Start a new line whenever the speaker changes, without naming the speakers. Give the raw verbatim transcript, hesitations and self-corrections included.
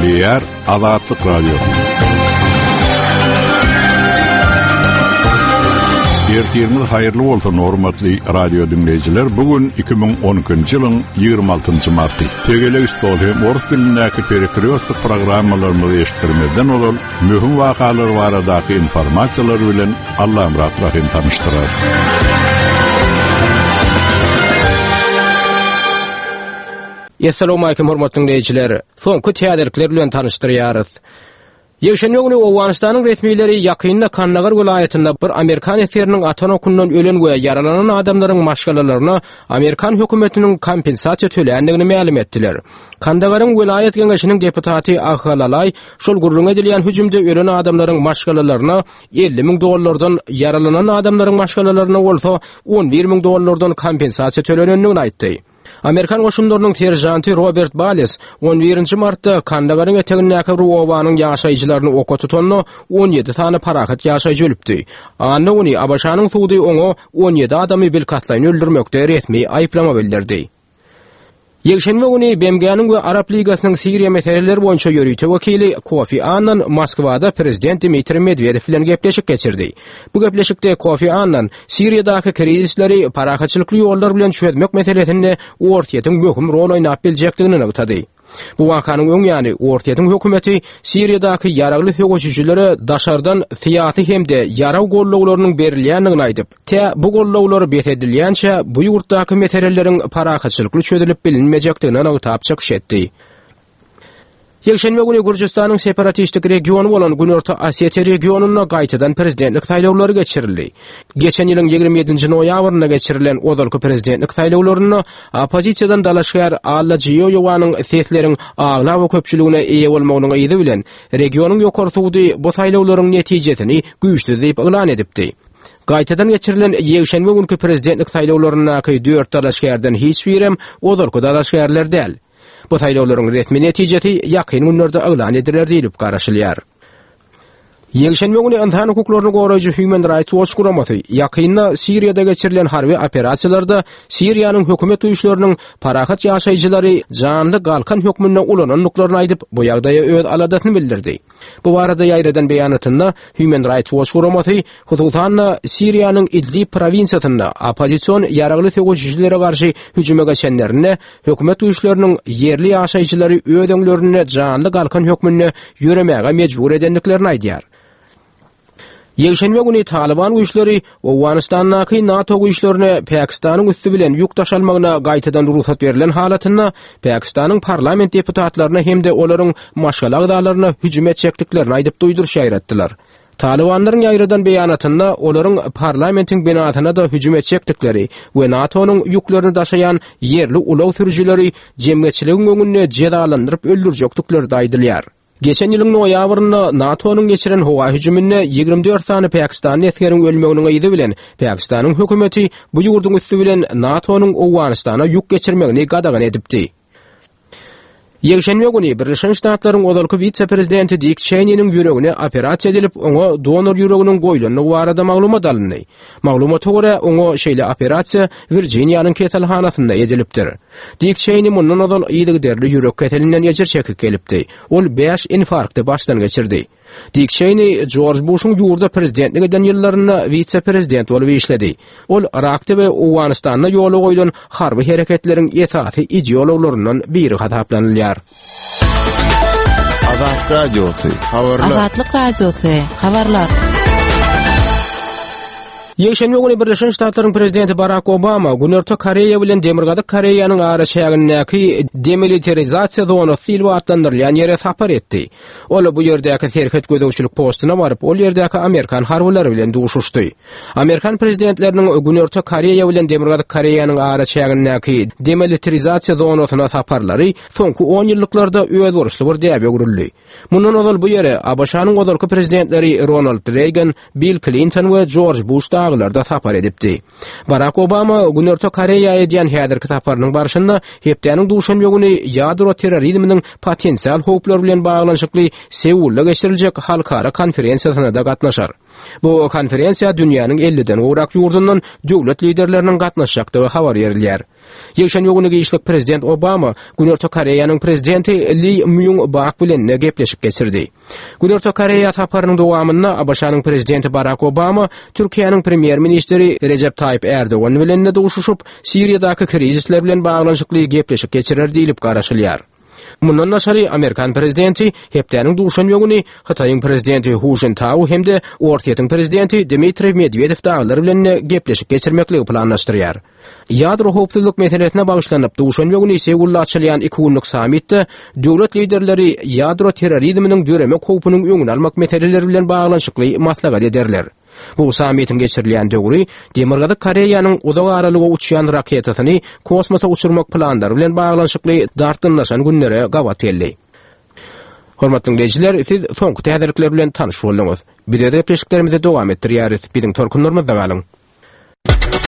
Gürleýär Azatlyk Radiosy. Ertiriňiz haýyrly bolsun hormatly radio dinleýjiler. Bu gün iki müň on ikinji ýylyň ýigrimi altynjy marty. Tegelek stol hem orus dilindäki perekrýostik programmalarymyzy eşitdirmezden ozal möhüm wakalar baradaky informasiýalar bilen Allamyrat Rahim tanyşdyrar.
Essalamu alaykum hormatly dinleýjiler. Soňky täzelikler bilen tanyşdyrýarys. Ýekşenbe güni Owganystanyň resmileri ýakynda Kandahar welaýatynda bir Amerikan esgeriniň atan okundan ölen we ýaralanan adamlaryň maşgalalaryna Amerikan hökümetiniň kompensasiýa töländigini mälim etdiler. Kandaharyň welaýat geňeşiniň deputaty Ahhalalay şol gürrüň edilýän hüjümde ölen adamlaryň maşgalalaryna elli müň dollardan, ýaralanan adamlaryň maşgalalaryna bolsa on bir müň dollardan kompensasiýa tölenendigini aýtdy. Amerikan goşunlarynyň serjanty Robert Bales on birinji martda Kandaharyň etegindäki Ruowanyň ýaşaýjylaryny oka tutanda on ýedi sany parahat ýaşaýjy ölüpdi. Anna güni ABŞ-nyň sudy oňa on ýedi adamy bilkastlaýyn öldürmekde resmi aýyplama bildirdi. Ýekşenbe güni B M G-niň we Arap Ligasynyň Siriýa meseleleri boýunça ýörite wekili Kofi Annan Moskwada prezident Dmitriý Medwedew bilen gepleşik geçirdi. Bu gepleşikde Kofi Annan Siriýadaky krizisleri parahatçylykly ýollar bilen çözmek meselesinde Orsýetiň möhüm rol oýnap biljekdigini nygtady. Bu wakanyň öň ýany Orsýetiň hökümeti Siriýadaky ýaragly söweşijilere daşardan syýasy hem-de ýarag gollawlarynyň berilýändigini aýdyp, tä bu gollawlar bes edilýänçä bu ýurtdaky meseleleriň parahatçylykly çözülip bilinmejekdigini nygtap çykyş etdi. Ýekşenbe güni Gürjüstanyň separatistik regiony bolan Günorta Osetiýa regionynda gaýtadan prezidentlik saýlawlary geçirildi. Geçen ýylyň ýigrimi ýedinji noýabrynda geçirilen ozalky prezidentlik saýlawlarynda oppozisiýadan dalaşgär Alla Jiýoýewanyň sesleriň aglaba köpçüligine eýe bolmagynyň yzy bilen regionyň ýokary sudy bu saýlawlaryň netijesini güýçsüz diýip yglan edipdi. Gaýtadan geçirilen ýekşenbe günkü prezidentlik saýlawlaryndaky dört dalaşgärden hiç birem ozalky dalaşgärler däl. Bu saýlawlaryň resmi netijesi ýakyn günlerde yglan ediler diýilip garaşylýar. Ýekşenbe güni ynsan hukuklaryny goraýjy Human Rights Watch guramasy ýakynda Siriýada geçirilen harby operasiýalarda Siriýanyň hökümet güýçleriniň parahat ýaşaýjylary janly galkan hökmünde ulanandyklaryny aýdyp, bu ýagdaýa öz aladasyny bildirdi. Bu barada ýaýradan beýanatynda Human Rights Watch guramasy hususan-da Siriýanyň Idlib prowinsiýasynda oppozision ýaragly söweşijilere garşy hüjüme geçenlerinde hökümet güýçleriniň ýerli ýaşaýjylary öz öňlerinde janly galkan hökmünde ýöremäge mejbur edendiklerini aýdýar. Ýekşenbe güni Taliban güýçleri Owganystandaky NATO güýçlerine Pakistanyň üsti bilen ýük daşalmagyna gaýtadan rugsat berlen halatynda Pakistanyň parlament deputatlaryna hem-de olaryň maşgala agzalaryna hüjüm etjekdiklerini aýdyp duýduryş ýaýratdylar. Talibanlaryň ýaýradan beýanatynda olaryň parlamentiň binasyna da hüjüm etjekdikleri we NATO-nyň ýüklerini daşaýan ýerli ulag sürüjileri jemgyýetçiligiň öňünde jezalandyryp öldürjekdikleri de aýdylýar. Geçen ýylyň noýabrynda NATO-nyň geçiren howa hüjüminde ýigrimi dört sany Pakistanly esgeriň ölmeginiň yzy bilen Pakistanyň hökümeti bu ýurduň üsti bilen NATO-nyň Owganystana ýük geçirmegini gadagan edipdi. Ýekşenbe güni Birleşen Ştatlaryň ozalky wise-prezidenti Dick Cheney'niň ýüregine operasiýa edilip, oňa donor ýüreginiň goýlandygy barada maglumat alyndy. Maglumata görä, oňa şeýle operasiýa Virginianyň keselhanasynda edilipdir. Dick Cheney mundan ozal yzygiderli ýürek keselinden ejir çekip gelipdi. Ol bäş infarkty başdan geçirdi. Dick Cheney George Bush'un ýurda prezidentlik eden ýyllarynda wise-prezident bolup işledi. Ol Irakda we Owganystanda ýola goýlan harby hereketleriň esasy ideologlaryndan biri hasaplanylýar.
Azatlyk Radiosy, habarlar.
Azatlyk Radiosy, habarlar.
Ýekşenbe güni Birleşen Ştatlaryň prezidenti Barack Obama Günorta Koreýa bilen Demirgazyk Koreýanyň araçägindäki demilitarizasiýa zonasy diýlip atlandyrylýan ýere sapar etdi. Ol bu ýerdäki serhet gözegçilik postuna baryp, ol ýerdäki Amerikan harbylary bilen duşuşdy. Amerikan prezidentleriniň Günorta Koreýa bilen Demirgazyk Koreýanyň araçägindäki demilitarizasiýa zonasyna saparlary soňky on ýyllyklarda özboluşly bir däbe öwrüldi. Mundan ozal bu ýere A B Ş-nyň ozalky prezidentleri Ronald Reagan, Bill Clinton we George Bush daglarda sapar edipdi. Barack Obama Günorta Koreýa edýän häzirki saparynyň barşynda hepdäniň duşenbe güni ýadro terrorizminiň potensial howplary bilen baglanyşykly Seulda geçiriljek halkara konferensiýasyna da gatnaşar. Bu konferensiýa dünýäniň elliden gowrak ýurdundan döwlet liderleriniň gatnaşjakdygy habar berilýär. Ýekşenbe güni giçlik prezident Obama Günorta Koreýanyň prezidenti Li Myung Bak bilen gepleşik geçirdi. Günorta Koreýa saparynyň dowamynda ABŞ-nyň prezidenti Barack Obama Türkiýäniň premýer-ministri Recep Tayyip Erdogan bilen duşuşyp, Siriýadaky krizisler bilen baglanyşykly gepleşik geçirer diýilip garaşylýar. Mundan daşary Amerikan prezidenti hepdäniň duşenbe güni Hytaýyň prezidenti Hu Jintao hem-de Orsýetiň prezidenti Dmitriý Medwedew dagylar bilen gepleşik geçirmekligi planlaşdyrýar. Ýadro howpsuzlyk meselesine bagyşlanyp duşenbe güni Seulda açylýan iki günlük sammitde döwlet liderleri ýadro terrorizminiň döremek howpunyň öňüni almak meseleleri bilen baglanyşykly maslahat ederler. Bu sammitiň geçirilýän döwri Demirgazyk Koreýanyň uzak aralyga uçýan raketasyny kosmosa uçurmak planlary bilen baglanyşykly dartgynlaşan günlere gabat geldi. Hormatly dinleýjiler, siz soňky täzelikler bilen tanyş bolduňyz. Biz öz gepleşiklerimizi dowam etdirýäris. Biziň tolkunlarymyzda galyň.